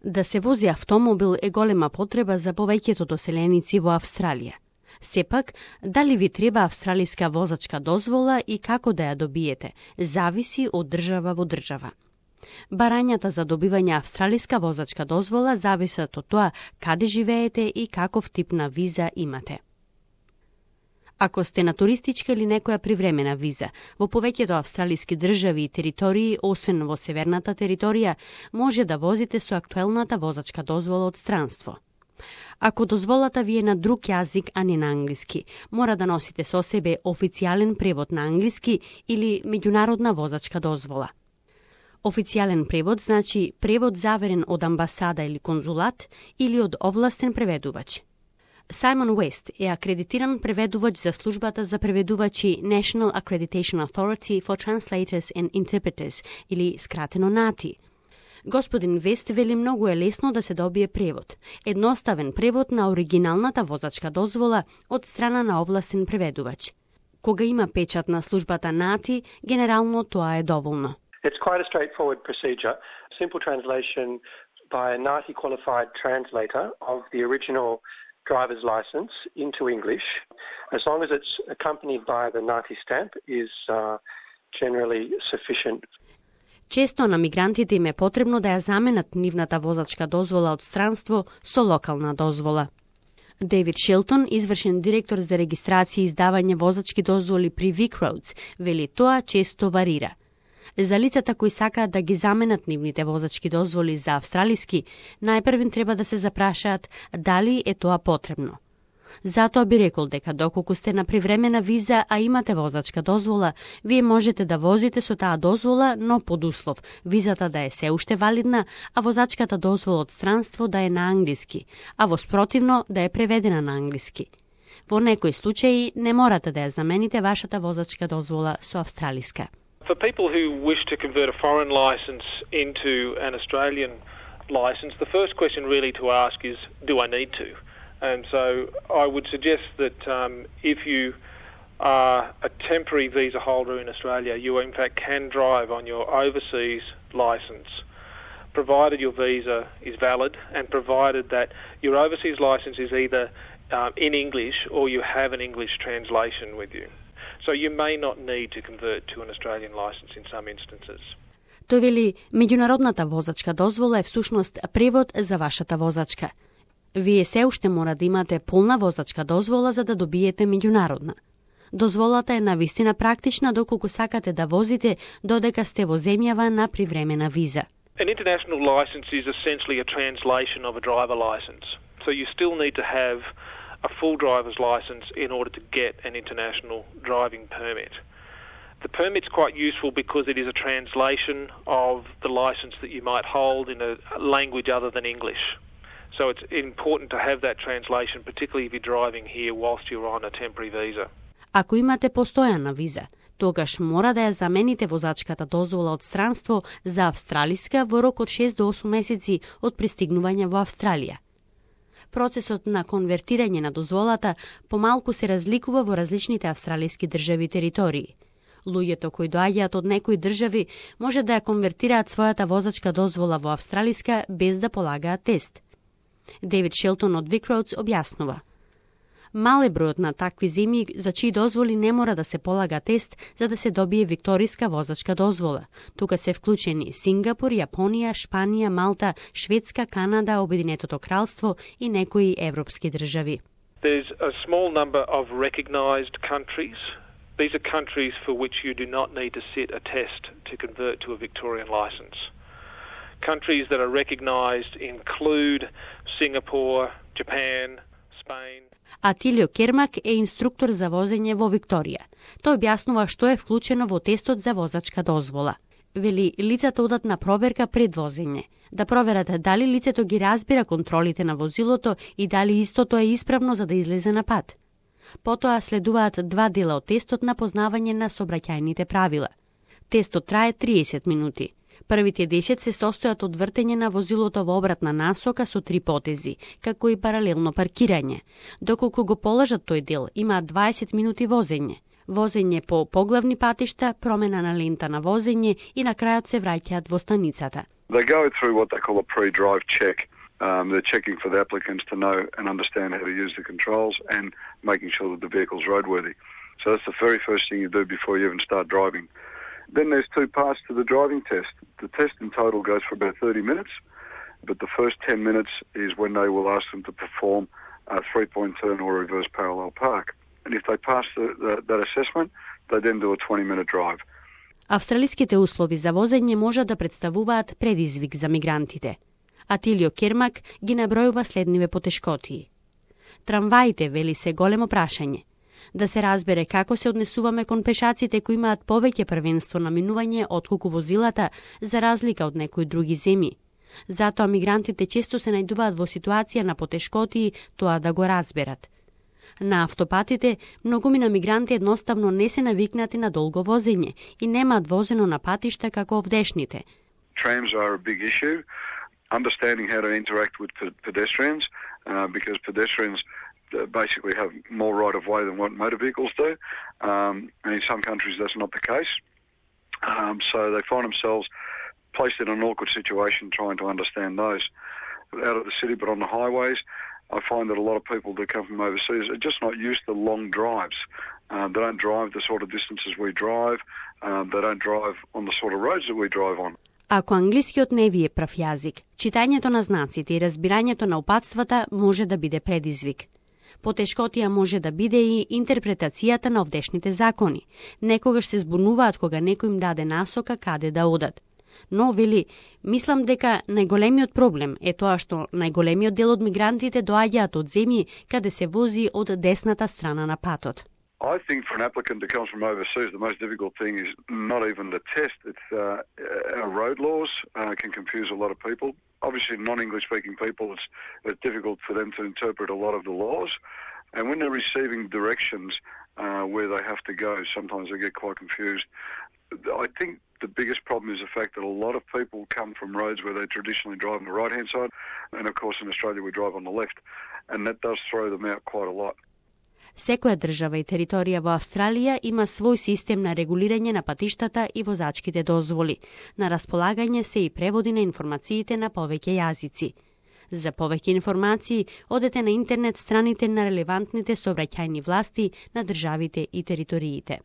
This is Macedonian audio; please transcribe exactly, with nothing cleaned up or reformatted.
Да се вози автомобил е голема потреба за повеќето доселеници во Австралија. Сепак, дали ви треба австралиска возачка дозвола и како да ја добиете, зависи од држава во држава. Барањата за добивање австралиска возачка дозвола зависат од тоа каде живеете и каков тип на виза имате. Ако сте на туристичка или некоја привремена виза, во повеќето австралиски држави и територии, освен во северната територија, може да возите со актуелната возачка дозвола од странство. Ако дозволата ви е на друг јазик, а не на англиски, мора да носите со себе официјален превод на англиски или меѓународна возачка дозвола. Официјален превод значи превод заверен од амбасада или конзулат или од овластен преведувач. Саймон Уест е акредитиран преведувач за службата за преведувачи National Accreditation Authority for Translators and Interpreters, или скратено НАТИ. Господин Вест вели многу е лесно да се добие превод. Едноставен превод на оригиналната возачка дозвола од страна на овластен преведувач. Кога има печат на службата НАТИ, генерално тоа е доволно. It's quite a straightforward procedure. Simple translation by a NATI qualified translator of the original driver's license into English, as long as it's accompanied by the NATI stamp, is uh, generally sufficient. Често на мигрантите им е потребно да ја заменат нивната возачка дозвола од странство со локална дозвола. Дейвид Шилтон, извршен директор за регистрација и издавање возачки дозволи при VicRoads, вели тоа често варира. За лицата кои сакаат да ги заменат нивните возачки дозволи за австралиски, најпрвен треба да се запрашаат дали е тоа потребно. Затоа би рекол дека доколку сте на привремена виза, а имате возачка дозвола, вие можете да возите со таа дозвола, но под услов визата да е се уште валидна, а возачката дозвола од странство да е на англиски, а во спротивно да е преведена на англиски. Во некои случаи не морате да ја замените вашата возачка дозвола со австралиска. For people who wish to convert a foreign licence into an Australian licence, the first question really to ask is, do I need to? And so I would suggest that um, if you are a temporary visa holder in Australia, you in fact can drive on your overseas licence, provided your visa is valid and provided that your overseas licence is either um, in English or you have an English translation with you. So you may not need to convert to an Australian licence in some instances. Тој вели, меѓународната возачка дозвола е всушност превод за вашата возачка. Вие се уште мора да имате полна возачка дозвола за да добиете меѓународна. Дозволата е навистина практична доколку сакате да возите додека сте во земјава на привремена виза. An international licence is essentially a translation of a driver licence. So you still need to have a full driver's licence in order to get an international driving permit. The permit's quite useful because it is a translation of the licence that you might hold in a language other than English. So it's important to have that translation, particularly if you're driving here whilst you're on a temporary visa. Ако имате постојана виза, тогаш мора да ја замените возачката дозвола од странство за австралиска во рок од шест до осум месеци од пристигнување во Австралија. Процесот на конвертирање на дозволата помалку се разликува во различните австралиски држави и територии. Луѓето кои доаѓаат од некои држави може да ја конвертираат својата возачка дозвола во австралиска без да полагаат тест. Дейвид Шилтон од VicRoads објаснува. Мал е бројот на такви земји за чии дозволи не мора да се полага тест за да се добие викториска возачка дозвола. Тука се вклучени Сингапур, Јапонија, Шпанија, Малта, Шведска, Канада, Обединетото кралство и некои европски држави. There's a small number of recognised countries. These are countries for which you do not need to sit a test to convert to a Victorian licence. Countries that are recognised include Singapore, Japan, Spain. Атилио Кермак е инструктор за возење во Викторија. Тој објаснува што е вклучено во тестот за возачка дозвола. Вели, лицата одат на проверка пред возење, да проверат дали лицето ги разбира контролите на возилото и дали истото е исправно за да излезе на пат. Потоа следуваат два дела од тестот на познавање на сообраќајните правила. Тестот трае триесет минути. Првите десет се состојат од вртење на возилото во обратна насока со три потези, како и паралелно паркирање. Доколку го положат тој дел, имаат дваесет минути возење. Возење по поглавни патишта, промена на лента на возење и на крајот се враќаат во станицата. They go through what they call a pre-drive check. Um, they're checking for the applicants to know and understand how to use the controls and making sure that the vehicle's roadworthy. So that's the very first thing you do before you even start driving. Then there's two parts to the driving test. The test in total goes for about thirty minutes, but the first ten minutes is when they will ask them to perform a three-point turn or reverse parallel park. And if they pass the, the, that assessment, they then do a twenty-minute drive. Австралиските услови за возење може да представуваат предизвик за мигрантите. Атилио Кермак ги набројува следниве потешкотии. Трамваите, вели се, големо прашање. Да се разбере како се однесуваме кон пешаците кои имаат повеќе првенство на минување отколку возилата, за разлика од некои други земји. Затоа мигрантите често се најдуваат во ситуација на потешкотии тоа да го разберат. На автопатите, многумина мигранти едноставно не се навикнати на долго возење и немаат возено на патишта како овдешните. Trams are a big issue. Understanding how to interact with pedestrians, uh, because pedestrians uh, basically have more right of way than what motor vehicles do, um, and in some countries that's not the case. Um, so they find themselves placed in an awkward situation trying to understand those. Out of the city, but on the highways, I find that a lot of people that come from overseas are just not used to long drives. Um, they don't drive the sort of distances we drive. Um, they don't drive on the sort of roads that we drive on. Ако англискиот не ви е прав јазик, читањето на знаците и разбирањето на упатствата може да биде предизвик. Потешкотија може да биде и интерпретацијата на овдешните закони. Некогаш се збунуваат кога некој им даде насока каде да одат. Но, вели, мислам дека најголемиот проблем е тоа што најголемиот дел од мигрантите доаѓаат од земји каде се вози од десната страна на патот. I think for an applicant that comes from overseas, the most difficult thing is not even the test. It's uh, our road laws uh, can confuse a lot of people. Obviously, non-English speaking people, it's, it's difficult for them to interpret a lot of the laws. And when they're receiving directions uh, where they have to go, sometimes they get quite confused. I think the biggest problem is the fact that a lot of people come from roads where they traditionally drive on the right-hand side. And of course, in Australia, we drive on the left. And that does throw them out quite a lot. Секоја држава и територија во Австралија има свој систем на регулирање на патиштата и возачките дозволи. На располагање се и преводи на информациите на повеќе јазици. За повеќе информации, одете на интернет страните на релевантните сообраќајни власти на државите и териториите.